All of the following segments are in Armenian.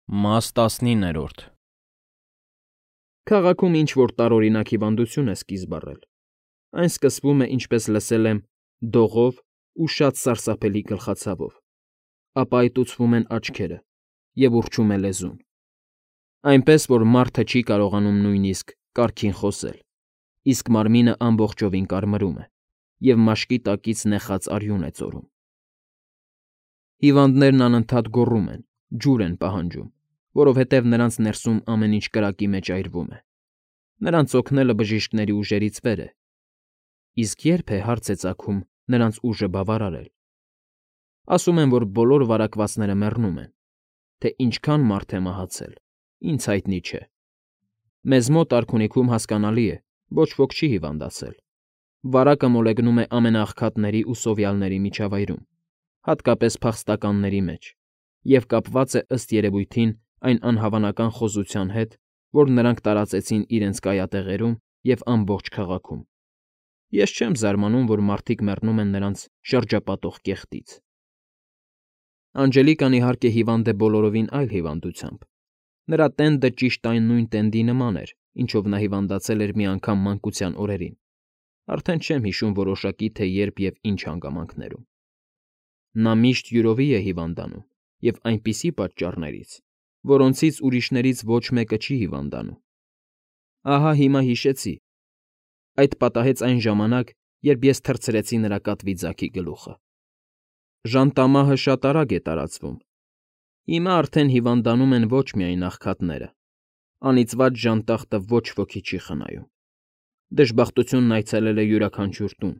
Մաս 19 Քաղաքում ինչ֊որ տարօրինակ հիվանդություն է սկիզբ առել. այն սկսվում է, ինչպես լսել եմ, դողով ու շատ սարսափելի գլխացավով, ապա այտուցվում են աչքերը և ուռչում է լեզուն, այնպես որ մարդը չի կարողանում նույնիսկ կարգին խոսել, իսկ մարմինը ամբողջովին կարմրում է և մաշկի տակից նեխած արյուն է ծորում։ Հիվանդներն անընդհատ գոռում են, ջուր են պահանջում, որովհետև նրանց ներսում ամեն ինչ կրակի մեջ այրվում է։ Նրանց օգնելը բժիշկների ուժերից վեր է, իսկ ե՞րբ է, հարց է ծագում, նրանց ուժը բավարարել։ Ասում են, որ բոլոր վարակվածները մեռնում են, թե ինչքան մարդ է մահացել, ինձ հայտնի չէ։ Մեզ մոտ արքունիքում, հասկանալի է, ոչ ոք չի հիվանդացել։ Վարակը մոլեգնում է ամենաաղքատների ու սովյալների միջավայրում, հատկապես փախստականների մեջ, և կապված է ըստ երևույթին այն անհավանական խոզության հետ, որ նրանք տարածեցին իրենց կայատեղերում և ամբողջ քաղաքում։ Ես չեմ զարմանում, որ մարդիկ մեռնում են նրանց շրջապատող կեղտից։ Անջելիկան, իհարկե, հիվանդ է բոլորովին այլ հիվանդությամբ։ Նրա տենդը ճիշտ այն նույն տենդի նման էր, ինչով նա հիվանդացել էր մի անգամ մանկության օրերին, արդեն չեմ հիշում որոշակի, թե երբ և ինչ հանգամանքներում։ Նա միշտ յուրովի է հիվանդանում և այնպիսի պատճառներից, որոնցից ուրիշներից ոչ մեկը չի հիվանդանում։ Ահա հիմա հիշեցի. այդ պատահեց այն ժամանակ, երբ ես թռցրեցի նրա կատվի ձագի գլուխը։ Ժանտամահը շատ արագ է տարածվում։ Հիմա արդեն հիվանդանում են ոչ միայն աղքատները, անիծված ժանտախտը ոչ ոքի չի խնայում։ Դժբախտությունն այցելել է յուրաքանչյուր տուն,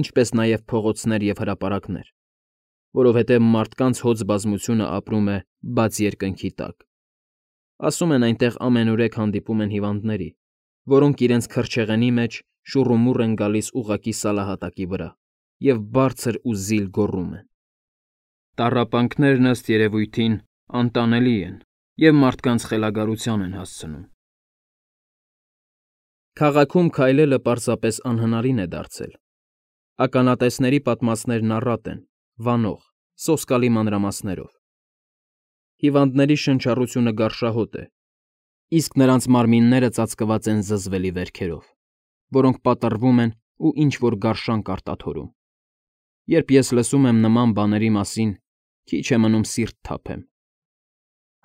ինչպես նաև փողոցներ և հրապարակներ, որովհետև մարդկանց հոծ բազմությունը ապրում է բաց երկնքի տակ։ Ասում են, այնտեղ ամենուրեք հանդիպում են հիվանդների, որոնք իրենց քրչեղենի մեջ շուռումուռ են գալիս ուղղակի սալահատակի վրա և բարձր ու զիլ գոռում են։ Տառապանքներն, ըստ երևույթին, անտանելի են և մարդկանց խելագարության են հասցնում։ Քաղաքում քայլելը պարզապես անհնարին է դարձել։ Ականատեսների պատմածներն առատ են, վանող, սոսկալի մանրամասներով։ Հիվանդների շնչառությունը գարշահոտ է, իսկ նրանց մարմինները ծածկված են զզվելի վերքերով, որոնք պատռվում են ու ինչ֊որ գարշանք արտաթորում։ Երբ ես լսում եմ նման բաների մասին, քիչ է մնում սիրտ թափեմ։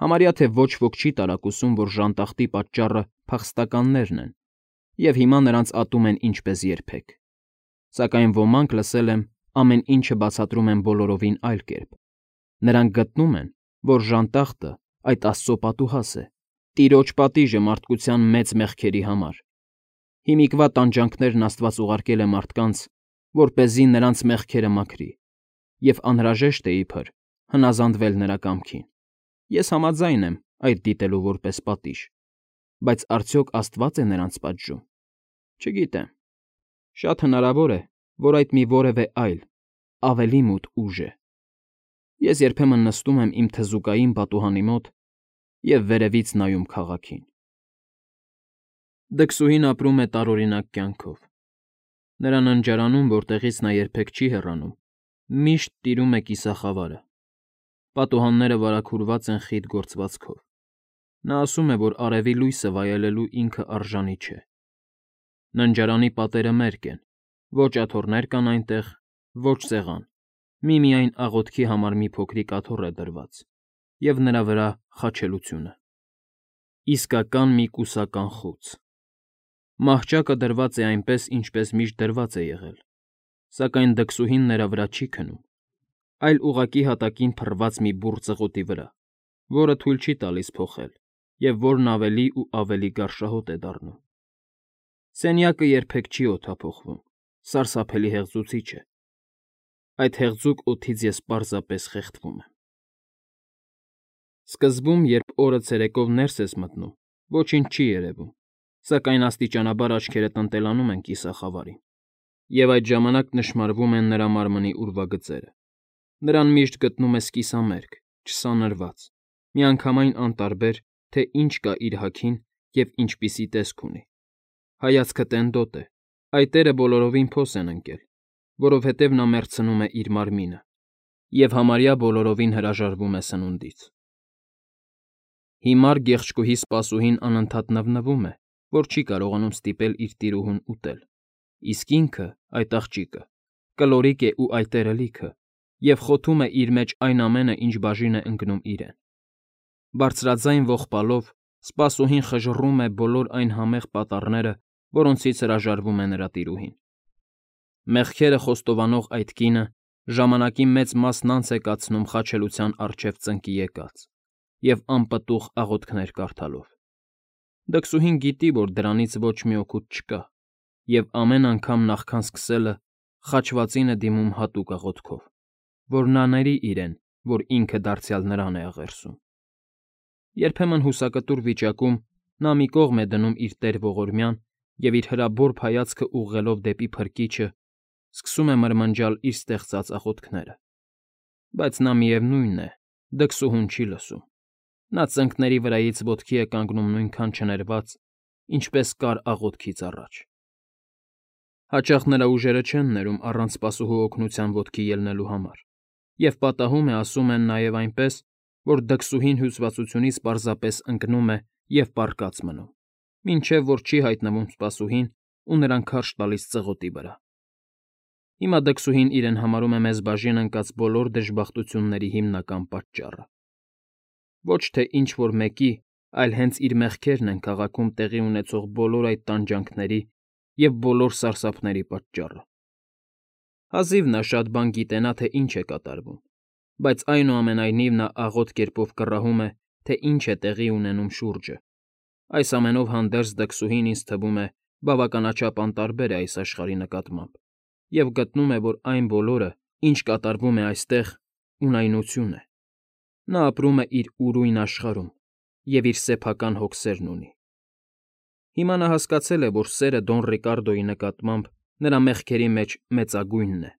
Համարյա թե ոչ ոք չի տարակուսում, որ ժանտախտի պատճառը փախստականներն են, և հիմա նրանց ատում են ինչպես երբեք։ Սակայն ոմանք, լսել եմ, ամեն ինչը բացատրում են բոլորովին այլ կերպ։ Նրանք գտնում են, որ ժանտախտը այդ աստծո պատուհաս է, Տիրոջ պատիժը մարդկության մեծ մեղքերի համար։ Հիմիկվա տանջանքներն Աստված ուղարկել է մարդկանց, որպեսզի նրանց մեղքերը մաքրի, և անհրաժեշտ է, իբր, հնազանդվել նրա կամքին։ Ես համաձայն եմ այդ դիտելու որպես պատիժ, բայց արդյոք Աստվա՞ծ է նրանց պատժում։ Չգիտեմ։ Շատ հնարավոր է, որ այդ մի որևէ այլ, ավելի մութ ուժ է։ Ես երբեմն նստում եմ իմ թզուկային պատուհանի մոտ և վերևից նայում քաղաքին։ Դքսուհին ապրում է տարօրինակ կյանքով։ Նրա ննջարանում, որտեղից նա երբեք չի հեռանում, միշտ տիրում է կիսախավարը։ Պատուհանները վարագուրված են խիտ գործվածքով։ Նա ասում է, որ արևի լույսը վայելելու ինքը արժանի չէ։ Ննջարանի պատերը մերկ են, ոչ աթոռներ կան այնտեղ, ոչ սեղան, միմիայն աղոթքի համար մի փոքրիկ աթոռ է դրված և նրա վրա խաչելությունը։ Իսկական մի կուսական խոց։ Մահճակը դրված է այնպես, ինչպես միշտ դրված է եղել, սակայն դքսուհին նրա վրա չի քնում, այլ ուղղակի հատակին փռված մի բուռ ծղոտի վրա, որը թույլ չի տալիս փոխել և որն ավելի ու ավելի գարշահոտ է դառնում։ Սենյակը երբեք չի օդափոխվում, սարսափելի հեղձուցիչ է։ Այդ հեղձուկ օդից ես պարզապես խեղդվում եմ։ Սկզբում, երբ օրը ցերեկով ներս ես մտնում, ոչինչ չի երևում, սակայն աստիճանաբար աչքերդ ընտելանում են կիսախավարին, և այդ ժամանակ նշմարվում են նրա մարմնի ուրվագծերը։ Նրան միշտ գտնում ես կիսամերկ, չսանրված, միանգամայն անտարբեր, թե ինչ կա իր հագին և ինչպիսի տեսք ունի։ Հայացքը տենդոտ է, այտերը բոլորովին փոս են ընկել, որովհետև նա մեռցնում է իր մարմինը և համարյա բոլորովին հրաժարվում է սնունդից։ Հիմար գեղչկուհի սպասուհին անընդհատ նվնվում է, որ չի կարողանում ստիպել իր տիրուհուն ուտել, իսկ ինքը, այդ աղջիկը, կլորիկ է ու այտերը լիքը, և խոթում է իր մեջ այն ամենը, ինչ բաժին է ընկնում իրեն։ Բարձրաձայն ողբալով սպասուհին խժռում է բոլոր այն համեղ պատառները, որոնցից հրաժարվում է նրա տիրուհին։ Մեղքերը խոստովանող այդ կինը ժամանակի մեծ մասն անց է կացնում խաչելության առջև ծնկի եկած և անպտուղ աղոթքներ կարդալով։ Դքսուհին գիտի, որ դրանից ոչ մի օգուտ չկա, և ամեն անգամ նախքան սկսելը խաչվածին է դիմում հատուկ աղոթքով, որ նա ների իրեն, որ ինքը դարձյալ նրան է աղերսում։ Երբեմն հուսակտուր վիճակում նա մի կողմ է դնում իր տեր ողորմյան և իր հրաբորբ հայացքը ուղղելով դեպի Փրկիչը, սկսում է մրմնջալ իր ստեղծած աղոթքները։ Բայց նա միևնույն է, դքսուհուն չի լսում։ Նա ծնկների վրայից ոտքի է կանգնում նույնքան չներված, ինչպես կար աղոթքից առաջ։ Հաճախ նրա ուժերը չեն ներում առանց սպասուհու օգնության ոտքի ելնելու համար, և պատահում է ասում են նաև այնպես, որ դքսուհին հյուծվածությունից պարզապես ընկնում է և պառկած մնում, մինչև որ չի հայտնվում սպասուհին ու նրան քարշ տալիս ծղոտի վրա։ Հիմա դքսուհին իրեն համարում է մեզ բաժին ընկած բոլոր դժբախտությունների հիմնական պատճառը։ Ոչ թե ինչ֊որ մեկի, այլ հենց իր մեղքերն են քաղաքում տեղի ունեցող բոլոր այդ տանջանքների և բոլոր սարսափների պատճառը։ Հազիվ նա շատ բան գիտենա, թե ինչ է կատարվում, բայց այնուամենայնիվ նա աղոտ կերպով կռահում է, թե ինչ է տեղի ունենում շուրջը։ Այս ամենով հանդերձ դքսուհին, ինձ թվում է, բավականաչափ անտարբեր է այս աշխարհի նկատմամբ և գտնում է, որ այն բոլորը, ինչ կատարվում է այստեղ, ունայնություն է։ Նա ապրում է իր ուրույն աշխարհում և իր սեփական հոգսերն ունի։ Հիմա նա հասկացել է, որ սերը Դոն Ռիկարդոյի նկատմամբ նրա մեղքերի մեջ մեծագույնն է։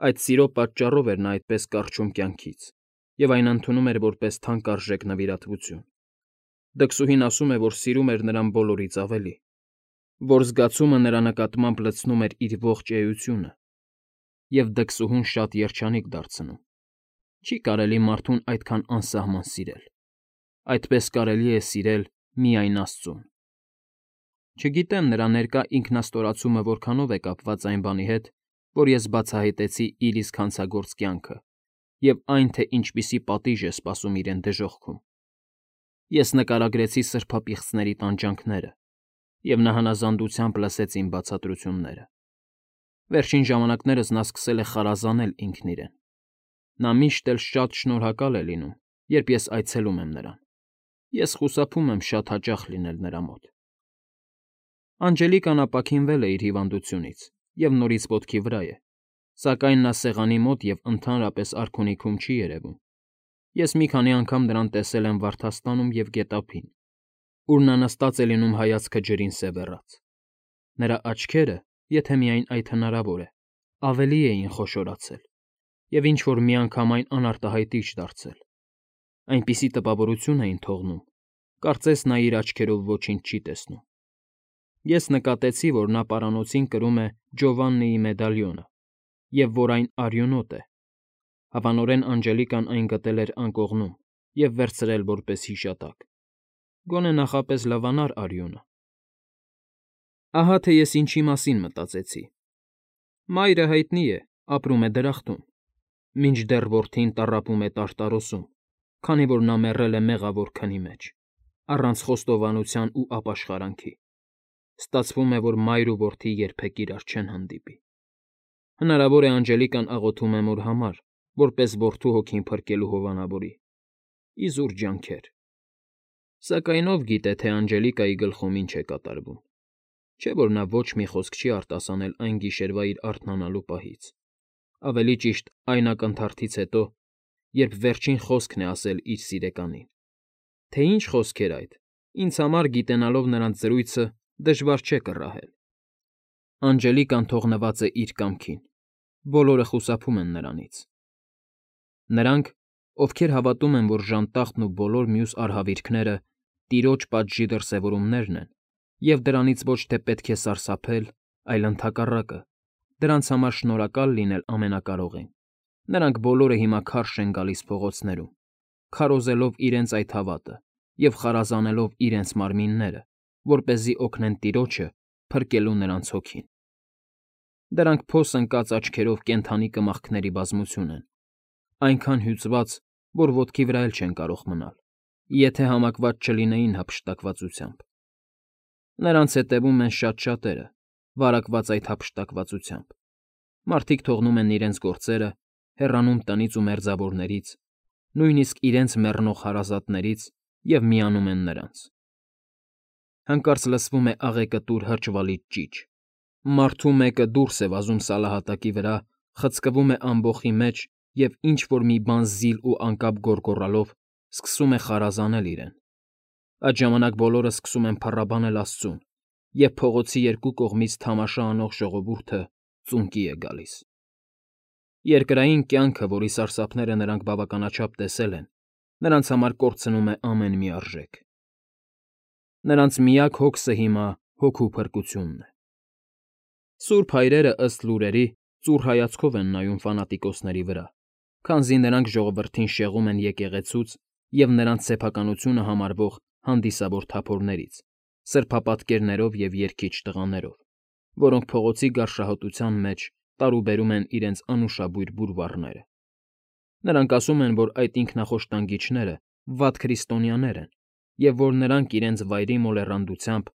Այդ սիրո պատճառով էր նա այդպես կառչում կյանքից և այն ընդունում էր որպես թանկարժեք նվիրատվություն։ Դքսուհին ասում է, որ սիրում էր նրան բոլորից ավելի, որ զգացումը նրա նկատմամբ լցնում էր իր ողջ էությունը, և դքսուհուն շատ երջանիկ դարձնում։ Չի կարելի մարդուն այդքան անսահման սիրել։ Այդպես կարելի է սիրել միայն Աստծուն։ Չգիտեմ նրա ներկա ինքնաստորացումը որքանով է կապված այն բանի հետ, որ ես բացահայտեցի իր իսկ հանցագործ կյանքը և այն, թե ինչպիսի պատիժ է սպասում իրեն դժոխքում։ Ես նկարագրեցի սրբապիղծների տանջանքները, և նա հնազանդությամբ լսեց իմ բացատրությունները։ Վերջին ժամանակներս նա սկսել է խարազանել ինքն իրեն։ Նա միշտ էլ շատ շնորհակալ է լինում, երբ ես այցելում եմ նրան։ Ես խուսափում եմ շատ հաճախ լինել նրա մոտ։ Անջելիկան ապաքինվել է իր հիվանդությունից և նորից ոտքի վրա է, սակայն նա սեղանի մոտ և ընդհանրապես արքունիքում չի երևում։ Ես մի քանի անգամ նրան տեսել եմ վարդաստանում և գետափին, ուր նա նստած է լինում հայացքը ջրին սևեռած։ Նրա աչքերը, եթե միայն այդ հնարավոր է, ավելի էին խոշորացել և ինչ֊որ միանգամայն անարտահայտիչ դարձել։ Այնպիսի տպավորություն էին թողնում, կարծես նա իր աչքերով ոչինչ չի տեսնում։ Ես նկատեցի, որ նա պարանոցին կրում է Ջովաննիի մեդալիոնը և որ այն արյունոտ է։ Հավանորեն Անջելիկան այն գտել էր անկողնում և վերցրել որպես հիշատակ։ Գոնե նախապես լվանար արյունը։ Ահա թե ես ինչի մասին մտածեցի։ Մայրը հայտնի է, ապրում է դրախտում, մինչդեռ որդին տառապում է տարտարոսում, քանի որ նա մեռել է մեղավոր քնի մեջ, առանց խոստովանության ու ապաշխարանքի։ Ստացվում է, որ մայր ու որդի երբեք իրար չեն հանդիպի։ Հնարավոր է Անջելիկան աղոթում է մոր համար, որպես որդու հոգին փրկելու հովանավորի։ Իզուր ջանքեր։ Սակայն ով գիտե, թե Անջելիկայի գլխում ինչ է կատարվում։ Չէ՞ որ նա ոչ մի խոսք չի արտասանել այն գիշերվա իր արթնանալու պահից, ավելի ճիշտ այն ակնթարթից հետո, երբ վերջին խոսքն է ասել իր սիրեկանին։ Թե ինչ խոսք էր այդ, ինձ համար, գիտենալով նրանց զրույցը, դժվար չէ կռահել։ Անջելիկան թողնված է իր կամքին։ Բոլորը խուսափում են նրանից։ Նրանք, ովքեր հավատում են, որ ժանտախտն ու բոլոր մյուս արհավիրքները տիրոջ պատժի դրսևորումներն են, և դրանից ոչ թե պետք է սարսափել, այլ ընդհակառակը, դրանց համար շնորհակալ լինել Ամենակարողին։ Նրանք բոլորը հիմա քարշ են գալիս փողոցներում, քարոզելով իրենց այդ հավատը և խարազանելով իրենց մարմինները, որպեսզի օգնեն տիրոջը փրկելու նրանց հոգին։ Դրանք փոս ընկած աչքերով կենդանի կմախքների բազմություն են, այնքան հյուծված, որ ոտքի վրա էլ չեն կարող մնալ, եթե համակված չլինեին հափշտակվածությամբ։ Նրանց հետևում են շատ շատերը, վարակված այդ հափշտակվածությամբ։ Մարդիկ թողնում են իրենց գործերը, հեռանում տնից ու մերձավորներից, նույնիսկ իրենց մեռնող հարազատներից և միանում են նրանց։ Հանկարծ լսվում է աղեկտուր հրճվալից ճիչ։ Մարդու մեկը դուրս է վազում սալահատակի վրա, խցկվում է ամբոխի մեջ և ինչ֊որ մի բան զիլ ու անկապ գոռգոռալով սկսում է խարազանել իրեն։ Այդ ժամանակ բոլորը սկսում են փառաբանել Աստծուն, և փողոցի երկու կողմից թամաշա անող ժողովուրդը ծունկի է գալիս։ Երկրային կյանքը, որի սարսափները նրանք բավականաչափ տեսել են, նրանց համար կորցնում է ամեն մի արժեք։ Նրանց միակ հոգսը հիմա հոգու փրկությունն է։ Սուրբ հայրերը, ըստ լուրերի, ծուռ հայացքով են նայում ֆանատիկոսների վրա, քանզի նրանք ժողովրդին շեղում են եկեղեցուց և նրանց սեփականությունը համարվող հանդիսավոր թափորներից, սրբապատկերներով և երգիչ տղաներով, որոնք փողոցի գարշահոտության մեջ տարուբերում են իրենց անուշաբույր բուրվառները։ Նրանք ասում են, որ այդ ինքնախոշտանգիչները վատ քրիստոնյաներ են և որ նրանք իրենց վայրի մոլեռանդությամբ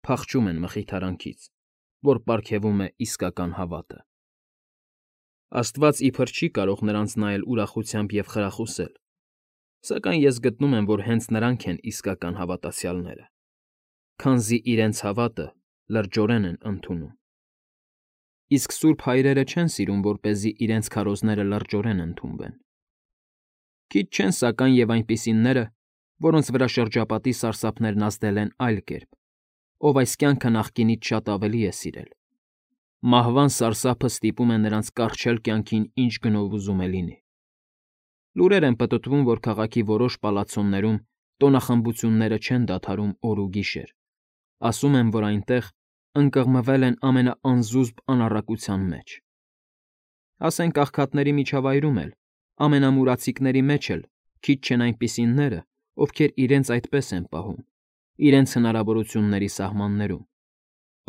փախչում են մխիթարանքից, որ պարգևում է իսկական հավատը։ Աստված իբր չի կարող նրանց նայել ուրախությամբ և խրախուսել, սակայն ես գտնում եմ, որ հենց նրանք են իսկական հավատացյալները, քանզի իրենց հավատը լրջորեն են ընդունում։ Իսկ սուրբ հայրերը չեն սիրում, որպեսզի իրենց քարոզները լրջորեն ընդունվեն։ Քիչ չեն, սակայն, և այնպիսիները, որոնց վրա շրջապատի սարսափներն ազդել են այլ կերպ, ով այս կյանքը նախկինից շատ ավելի է սիրել։ Մահվան սարսափը ստիպում է նրանց կառչել կյանքին ինչ գնով ուզում է լինի։ Լուրեր են պտտվում, որ քաղաքի որոշ պալացցոներում տոնախմբությունները չեն դադարում օր ու գիշեր։ Ասում են, որ այնտեղ ընկղմվել են ամենաանզուսպ անառակության մեջ։ Ասենք աղքատների միջավայրում էլ, ամենամուրացիկների մեջ էլ քիչ չեն այնպիսիները, ովքեր իրենց այդպես են պահում, իրենց հնարավորությունների սահմաններում,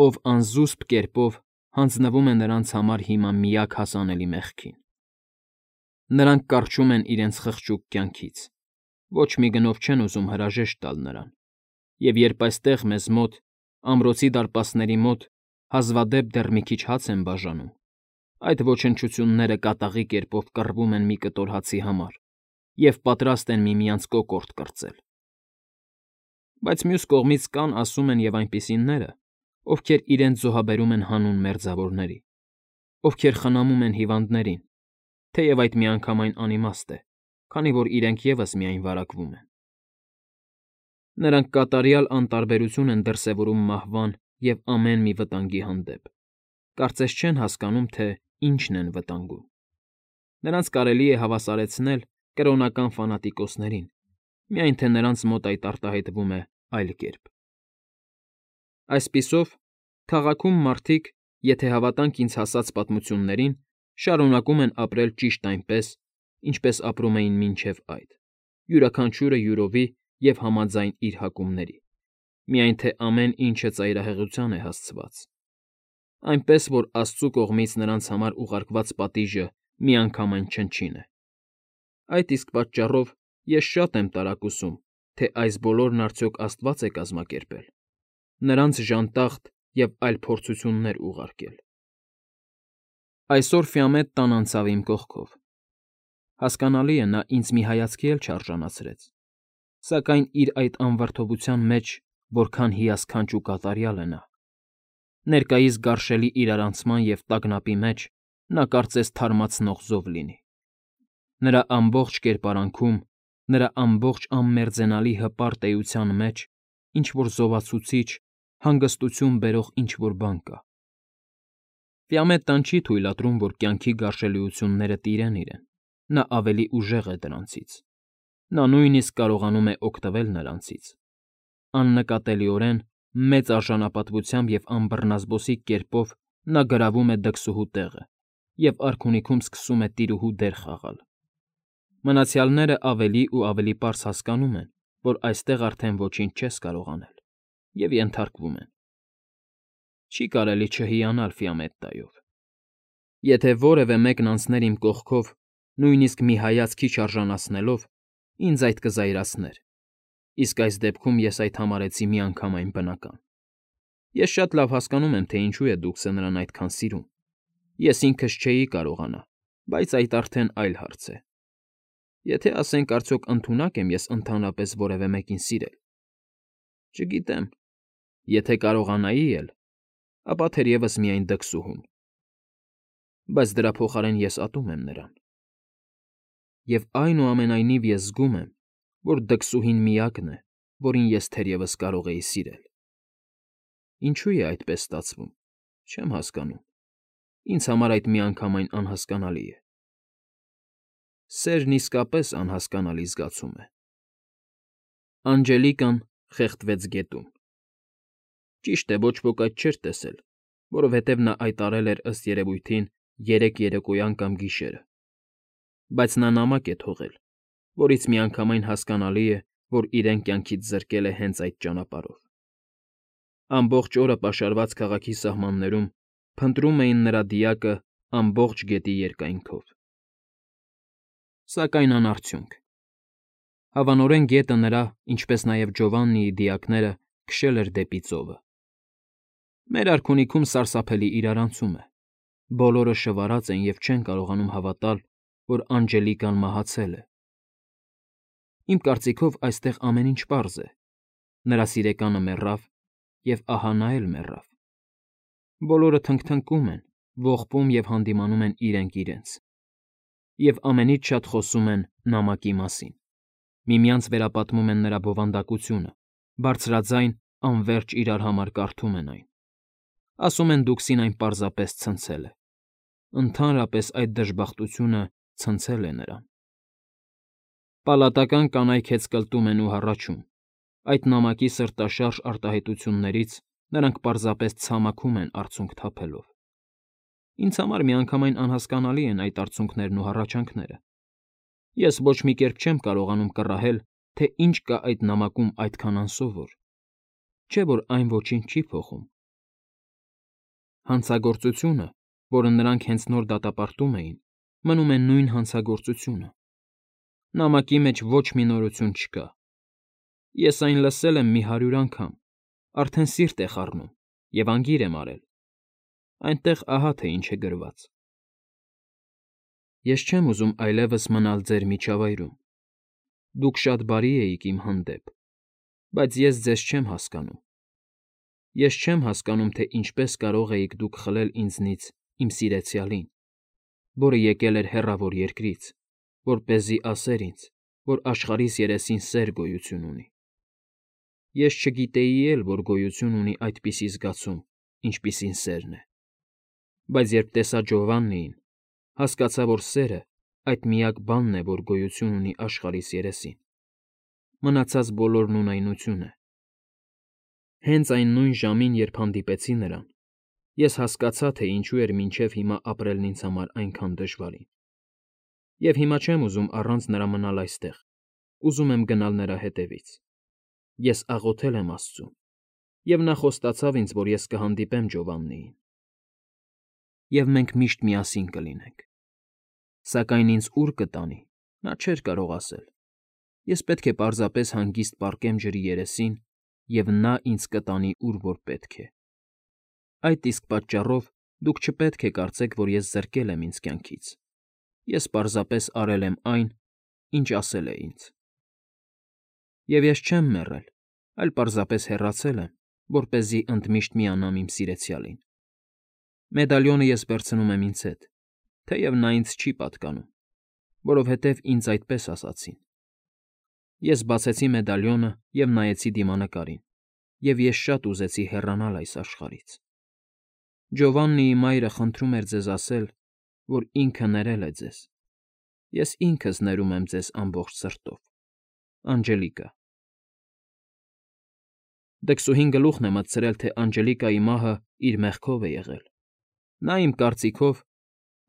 ով անզուսպ կերպով հանձնվում է նրանց համար հիմա միակ հասանելի մեղքին։ Նրանք կառչում են իրենց խղճուկ կյանքից, ոչ մի գնով չեն ուզում հրաժեշտ տալ նրան, և երբ այստեղ մեզ մոտ, ամրոցի դարպասների մոտ, հազվադեպ դեռ մի քիչ հաց են բաժանում, այդ ոչնչությունները կատաղի կերպով կռվում են մի կտոր հացի համար և պատրաստ են միմյանց կոկորդ կրծել։ Բայց մյուս կողմից կան, ասում են, և այնպիսիները, ովքեր իրենց զոհաբերում են հանուն մերձավորների, ովքեր խնամում են հիվանդներին, թեև այդ միանգամայն անիմաստ է, քանի որ իրենք ևս միայն վարակվում են։ Նրանք կատարյալ անտարբերություն են դրսևորում մահվան և ամեն մի վտանգի հանդեպ, կարծես չեն հասկանում, թե ինչն են վտանգում։ Նրանց կարելի է հավասարեցնել կրոնական ֆանատիկոսներին, միայն թե նրանց մոտ այդ արտահայտվում է այլ կերպ։ Այսպիսով, քաղաքում մարդիկ, եթե հավատանք ինձ հասած պատմություններին, շարունակում են ապրել ճիշտ այնպես, ինչպես ապրում էին մինչև այդ, յուրաքանչյուրը յուրովի և համաձայն իր հակումների, միայն թե ամեն ինչը ծայրահեղության է հասցված, այնպես որ Աստծու կողմից նրանց համար ուղարկված պատիժը միանգամայն չնչին է։ Այդ իսկ պատճառով ես շատ եմ տարակուսում, թե այս բոլորն արդյոք Աստված է կազմակերպել, նրանց ժանտախտ և այլ փորձություններ ուղարկել։ Այսօր Ֆիամետ տան անցավ իմ կողքով։ Հասկանալի է, նա ինձ մի հայացքի էլ չարժանացրեց, սակայն իր այդ անվրդովության մեջ որքան հիասքանչ ու կատարյալ է նա։ Ներկայիս գարշելի իրարանցման և տագնապի մեջ նա կարծես թարմացնող զով լինի։ Նրա ամբողջ կերպարանքում, նրա ամբողջ անմերձենալի հպարտ էության մեջ ինչ֊որ զովացուցիչ, հանգստություն բերող ինչ֊որ բան կա։ Ֆիամետտան չի թույլատրում, որ կյանքի գարշելիությունները տիրեն իրեն, նա ավելի ուժեղ է դրանցից։ Նա նույնիսկ կարողանում է օգտվել նրանցից։ Աննկատելիորեն, մեծ արժանապատվությամբ և անբռնազբոսիկ կերպով նա գրավում է դքսուհու տեղը և արքունիքում սկսում է տիրուհու դեր խաղալ։ Մնացյալները ավելի ու ավելի պարզ հասկանում են, որ այստեղ արդեն ոչինչ չես կարող անել, և ենթարկվում են։ Չի կարելի չհիանալ Ֆիամետտայով։ Եթե որևէ մեկն անցներ իմ կողքով, նույնիսկ մի հայացք չարժանացնելով, ինձ այդ կզայրացներ, իսկ այս դեպքում ես այդ համարեցի միանգամայն բնական։ Ես շատ լավ հասկանում եմ, թե ինչու է դուքս նրան այդքան սիրում։ Ես ինքս չէի կարողանա, բայց այդ արդեն այլ հարց է։ Եթե ասենք արդյոք ընդունակ եմ ես ընդհանրապես որևէ մեկին սիրել։ Չգիտեմ, եթե կարողանայի էլ, ապա թերևս միայն դքսուհուն։ Բայց դրա փոխարեն ես ատում եմ նրան։ Եվ այնուամենայնիվ ես զգում եմ, որ դքսուհին միակն է, որին ես թերևս կարող էի սիրել։ Ինչու է այդպես ստացվում, չեմ հասկանում։ Ինձ համար այդ միանգամայն անհասկանալի է։ Սերն իսկապես անհասկանալի զգացում է։ Անջելիկան խեղդվեց գետում։ Ճիշտ է, ոչ ոք այդ չէր տեսել, որովհետև նա այդ արել էր ըստ երևույթին 3 երեկոյան կամ գիշերը։ Բայց նա նամակ է թողել, որից միանգամայն հասկանալի է, որ իրեն կյանքից զրկել է հենց այդ ճանապարհով։ Ամբողջ օրը պաշարված քաղաքի սահմաններում փնտրում էին նրա դիակը ամբողջ գետի երկայնքով։ Սակայն անարդյունք։ Հավանորեն գետը նրա, ինչպես նաև Ջովաննիի դիակները քշել էր դեպի ծովը։ Մեր արքունիքում սարսափելի իրարանցում է։ Բոլորը շվարած են և չեն կարողանում հավատալ, որ Անջելիկան մահացել է։ Իմ կարծիքով այստեղ ամեն ինչ պարզ է։ Նրա սիրեկանը մեռավ, և ահա նա էլ մեռավ։ Բոլորը թնգթնկում են, ողբում և հանդիմանում են իրենք իրենց։ Եվ ամենից շատ խոսում են նամակի մասին։ Միմյանց վերապատմում են նրա բովանդակությունը, բարձրաձայն, անվերջ իրար համար կարդում են այն։ Ասում են դուքսին այն պարզապես ցնցել է։ Ընդհանրապես այդ դժբախտությունը ցնցել է նրան։ Պալատական կանայք հեծկլտում են ու հառաչում։ Այդ նամակի սրտաշարժ արտահայտություններից նրանք պարզապես ցամաքում են արցունք թափելով։ Ինձ համար միանգամայն անհասկանալի են այդ արցունքներն ու հառաչանքները։ Ես ոչ մի կերպ չեմ կարողանում կռահել, թե ինչ կա այդ նամակում այդքան անսովոր, չէ՞ որ այն ոչինչ չի փոխում։ Հանցագործությունը, որը նրանք հենց նոր դատապարտում էին, մնում է նույն հանցագործությունը։ Նամակի մեջ ոչ մի նորություն չկա։ Ես այն լսել եմ մի 100 անգամ, արդեն սիրտ է խառնում և անգիր եմ արել։ Այնտեղ ահա թե ինչ է գրված. Ես չեմ ուզում այլևս մնալ ձեր միջավայրում։ Դուք շատ բարի էիք իմ հանդեպ, բայց ես ձեզ չեմ հասկանում։ Ես չեմ հասկանում, թե ինչպես կարող էիք դուք խլել ինձնից իմ սիրեցյալին, որը եկել էր հեռավոր երկրից, որպեսզի ասեր ինձ, որ աշխարհիս երեսին սեր գոյություն ունի։ Ես չգիտեի էլ, որ գոյություն ունի այդպիսի զգացում, ինչպիսին սերն է։ Բայց երբ տեսա Ջովաննիին, հասկացա, որ սերը այդ միակ բանն է, որ գոյություն ունի աշխարհիս երեսին։ Մնացած բոլորն ունայնություն է։ Հենց այն նույն ժամին, երբ հանդիպեցի նրան, ես հասկացա, թե ինչու էր մինչև հիմա ապրելն ինձ համար այնքան դժվարին։ Եվ հիմա չեմ ուզում առանց նրա մնալ այստեղ, ուզում եմ գնալ նրա հետևից։ Ես աղոթել եմ Աստծուն, և նա խոստացավ ինձ, որ ես կհանդիպեմ Ջովաննիին։ Եվ մենք միշտ միասին կլինենք։ Սակայն ինձ ուր կտանի, նա չէր կարող ասել։ Ես պետք է պարզապես հանգիստ պառկեմ ջրի երեսին, և նա ինձ կտանի, ուր որ պետք է։ Այդ իսկ պատճառով դուք չպետք է կարծեք, որ ես զրկել եմ ինձ կյանքից։ Ես պարզապես արել եմ այն, ինչ ասել է ինձ։ Եվ ես չեմ մեռել, այլ պարզապես հեռացել եմ, որպեսզի ընդմիշտ միանամ իմ սիրեցյալին։ Մեդալիոնը ես վերցնում եմ ինձ հետ, թեև նա ինձ չի պատկանում, որովհետև ինձ այդպես ասացին։ Ես բացեցի մեդալիոնը և նայեցի դիմանկարին, և ես շատ ուզեցի հեռանալ այս աշխարհից։ Ջովաննիի մայրը խնդրում էր ձեզ ասել, որ ինքը ներել է ձեզ։ Ես ինքս ներում եմ ձեզ ամբողջ սրտով։ Անջելիկա։ Դքսուհին գլուխն է մտցրել, թե Անջելիկայի մահը իր մեղքով է եղել։ Նա, իմ կարծիքով,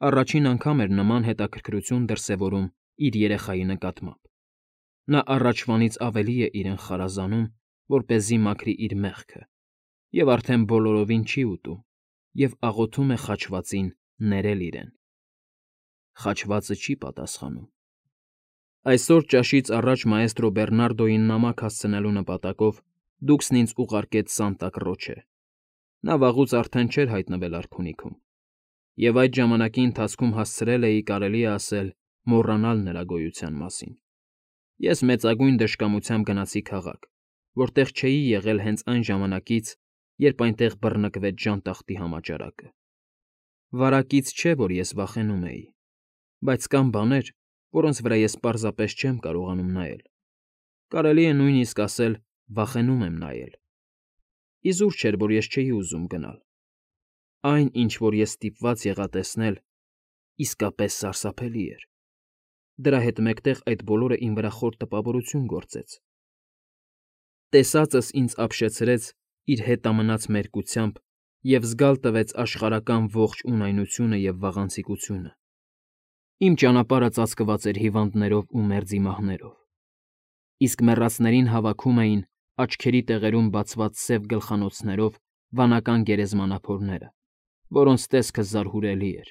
առաջին անգամ էր նման հետաքրքրություն դրսևորում իր երեխայի նկատմամբ։ Նա առաջվանից ավելի է իրեն խարազանում, որպեսզի մաքրի իր մեղքը, և արդեն բոլորովին չի ուտում, և աղոթում է խաչվածին ներել իրեն։ Խաչվածը չի պատասխանում։ Այսօր ճաշից առաջ մաեստրո Բեռնարդոյին նամակ հասցնելու նպատակով Դուքսն ինձ ուղարկեց Սանտա Կրոչե։ Նա վաղուց արդեն չէր հայտնվել արքունիքում, և այդ ժամանակի ընթացքում հասցրել էի, կարելի է ասել, մոռանալ նրա գոյության մասին։ Ես մեծագույն դժկամությամբ գնացի քաղաք, որտեղ չէի եղել հենց այն ժամանակից, երբ այնտեղ բռնկվեց ժանտախտի համաճարակը։ Վարակից չէ, որ ես վախենում էի, բայց կան բաներ, որոնց վրա ես պարզապես չեմ կարողանում նայել։ Կարելի է նույնիսկ ասել, վախենում եմ նայել։ Իզուր չէր, որ ես չէի ուզում գնալ։ Այն, ինչ որ ես ստիպված եղա տեսնել, իսկապես սարսափելի էր։ Դրա հետ մեկտեղ այդ բոլորը իմ վրա խոր տպավորություն գործեց։ Տեսածս ինձ ապշեցրեց իր հետամնաց մերկությամբ և զգալ տվեց աշխարհական ողջ ունայնությունը և վաղանցիկությունը։ Իմ ճանապարհը ծածկված էր հիվանդներով ու մերձ իմահներով, իսկ մեռածներին հավաքում էին աչքերի տեղերում բացված սև գլխանոցներով վանական գերեզմանափորները, որոնց տեսքը զարհուրելի էր։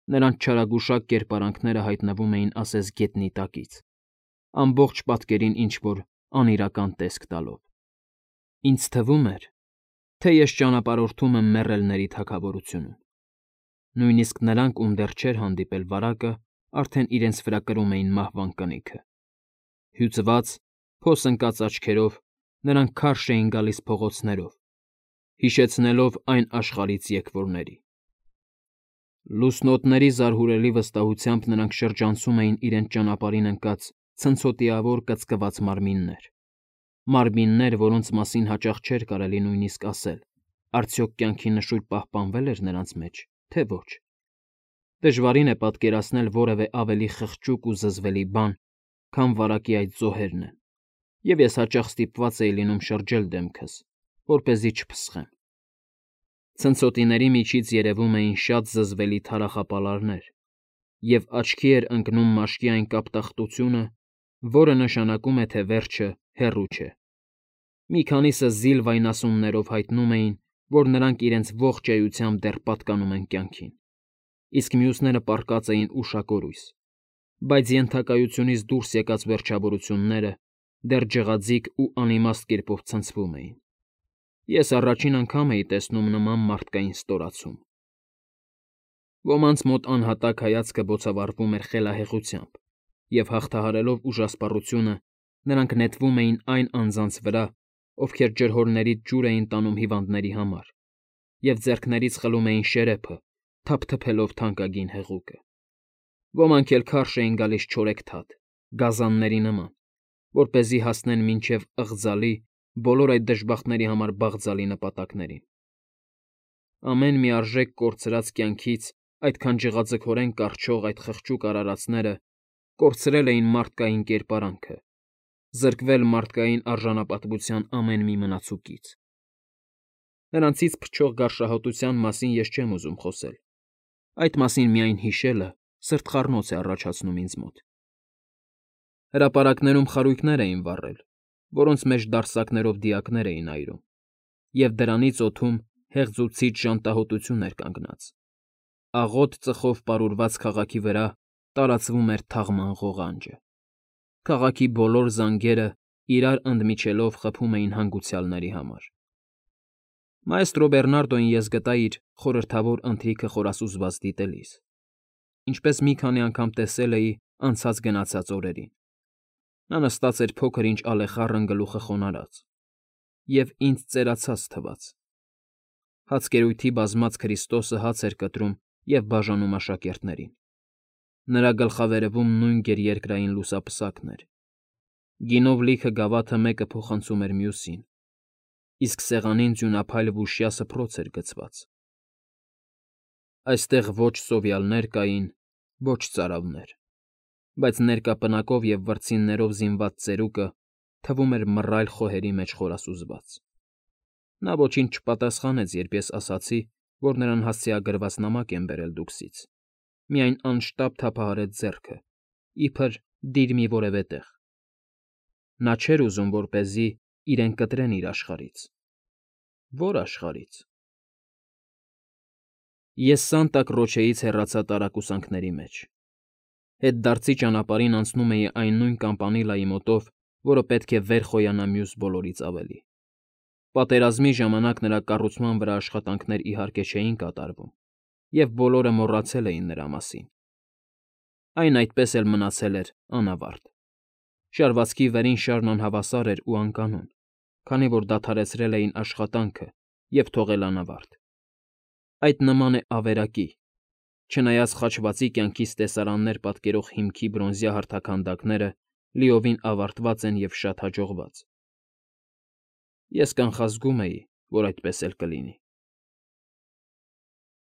Նրանց չարագուշակ կերպարանքները հայտնվում էին ասես գետնի տակից, ամբողջ պատկերին ինչ֊որ անիրական տեսք տալով։ Ինձ թվում էր, թե ես ճանապարհորդում եմ մեռելների թագավորությունում։ Նույնիսկ նրանք, ում դեռ չէր հանդիպել վարակը, արդեն իրենց վրա կրում էին մահվան կնիքը։ Հյուծված, փոս ընկած աչքերով նրանք քարշ էին գալիս փողոցներով, հիշեցնելով այն աշխարհից եկվորների։ Լուսնոտների զարհուրելի վստահությամբ նրանք շրջանցում էին իրենց ճանապարհին ընկած ցնցոտիավոր կծկված մարմիններ, որոնց մասին հաճախ չէր կարելի նույնիսկ ասել, արդյոք կյանքի նշույլ պահպանվել էր նրանց մեջ, թե ոչ։ Դժվարին է պատկերացնել որևէ ավելի խղճուկ ու զզվելի բան, քան վարակի այդ զոհերն են, և ես հաճախ ստիպված էի լինում շրջել դեմքս, որպեսզի չփսխեմ։ Ցնցոտիների միջից երևում էին շատ զզվելի թարախապալարներ, և աչքի էր ընկնում մաշկի այն կապտախտությունը, որը նշանակում է, թե վերջը հեռու չէ։ Մի քանիսը զիլ վայնասուններով հայտնում էին, որ նրանք իրենց ողջ էությամբ դեռ պատկանում են կյանքին, իսկ մյուսները պառկած էին ուշակորույս, բայց ենթակայությունից դուրս եկած վերջավորությունները դեռ ջղաձիգ ու անիմաստ կերպով ցնցվում էին։ Ես առաջին անգամ էի տեսնում նման մարդկային ստորացում։ Ոմանց մոտ անհատակ հայացքը բոցավառվում էր խելահեղությամբ, և հաղթահարելով ուժասպառությունը, նրանք նետվում էին այն անձանց վրա, ովքեր ջրհորներից ջուր էին տանում հիվանդների համար, և ձեռքներից խլում էին շերեփը, թափթփելով թանկագին հեղուկը։ Ոմանք էլ քարշ էին գալիս չորեքթաթ, գազանների նման, որպեսզի հասնեն մինչև ըղձալի, բոլոր այդ դժբախտների համար բաղձալի նպատակներին։ Ամեն մի արժեք կորցրած կյանքից այդքան ջղաձգորեն կառչող այդ խղճուկ արարածները կորցրել էին մարդկային կերպարանքը, զրկվել մարդկային արժանապատվության ամեն մի մնացուկից։ Նրանցից փչող գարշահոտության մասին ես չեմ ուզում խոսել, այդ մասին միայն հիշելը սրտխառնոց է առաջացնում ինձ մոտ։ Հրապարակներում խարույկներ էին վառել, որոնց մեջ դարսակներով դիակներ էին այրում, և դրանից օդում հեղձուցիչ ժանտահոտություն էր կանգնած։ Աղոտ ծխով պարուրված քաղաքի վրա տարածվում էր թաղման ղողանջը։ Քաղաքի բոլոր զանգերը իրար ընդմիջելով խփում էին հանգուցյալների համար։ Մաեստրո Բեռնարդոյին ես գտա իր խորհրդավոր ընթրիքը խորասուզված դիտելիս, ինչպես մի քանի անգամ տեսել էի անցած֊գնացած օրերին։ Նա նստած էր փոքր-ինչ ալեխառն գլուխը խոնարհած, և ինձ ծերացած թվաց։ Հացկերույթի բազմած Քրիստոսը հաց էր կտրում և բաժանում աշակերտներին։ Նրա գլխավերևում նույն գերերկրային լուսապսակն էր։ Գինով լիքը գավաթը մեկը փոխանցում էր մյուսին, իսկ սեղանին ձյունափայլ վուշյա սփռոց էր գցված։ Այստեղ ոչ սովյալներ կային, ոչ ծարավներ, բայց ներկա պնակով և վրձիններով զինված ծերուկը թվում էր մռայլ խոհերի մեջ խորասուզված։ Նա ոչինչ չպատասխանեց, երբ ես ասացի, որ նրան հասցեագրված նամակ եմ բերել Դուքսից, միայն անշտապ թափահարեց ձեռքը, իբր դիր մի որևէ տեղ։ Նա չէր ուզում, որպեսզի իրեն կտրեն իր աշխարհից։ Ո՞ր աշխարհից։ Ես Սանտա Կրոչեից հեռացա տարակուսանքների մեջ։ Հետդարձի ճանապարհին անցնում էի այն նույն կամպանիլայի մոտով, որը պետք է վեր խոյանա մյուս բոլորից ավելի։ Պատերազմի ժամանակ նրա կառուցման վրա աշխատանքներ իհարկե չէին կատարվում, և բոլորը մոռացել էին նրա մասին։ Այն այդպես էլ մնացել էր անավարտ։ Շարվածքի վերին շարն անհավասար էր ու անկանոն, քանի որ դադարեցրել էին աշխատանքը և թողել անավարտ։ Այդ նման է ավերակի, չնայած խաչվածի կյանքից տեսարաններ պատկերող հիմքի բրոնզյա հարթաքանդակները լիովին ավարտված են և շատ հաջողված։ Ես կանխազգում էի, որ այդպես էլ կլինի։